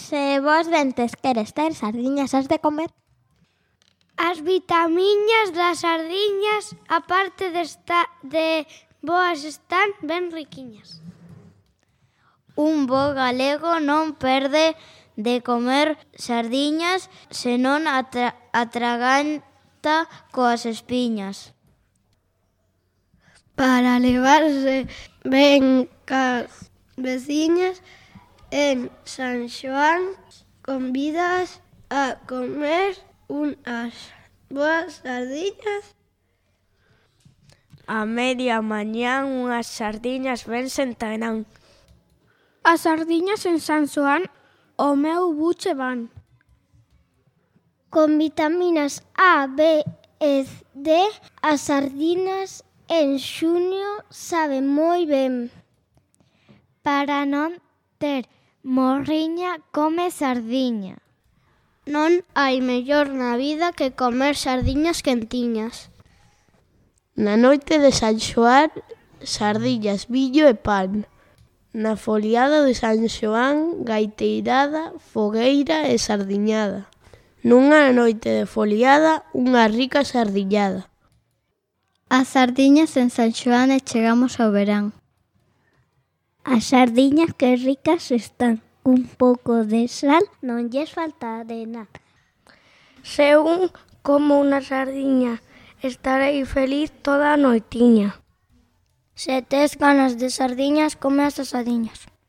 Se vos dentes queres ter sardiñas, has de comer. As vitamiñas das sardiñas, aparte de boas, están ben riquiñas. Un bo galego non perde de comer sardiñas, senón atraganta coas espiñas. Para levarse ben cas veciñas, en San Xoán convidas a comer unhas boas sardiñas. A media mañán unhas sardiñas ben sentarán. As sardiñas en San Xoán o meu buche van. Con vitaminas A, B e D, as sardinas en xuño saben moi ben. Para non ter morriña, come sardiña. Non hai mellor na vida que comer sardiñas quentiñas. Na noite de San Xoán, sardiñas, viño e pan. Na foliada de San Xoán, gaiteirada, fogueira e sardiñada. Nunha noite de foliada, unha rica sardiñada. As sardiñas en San Xoán e chegamos ao verán. As sardiñas que ricas están. Un pouco de sal non lles falta de nada. Se un como unha sardiña, estarei feliz toda a noitiña. Se tes ganas de sardiñas, come as asadiñas.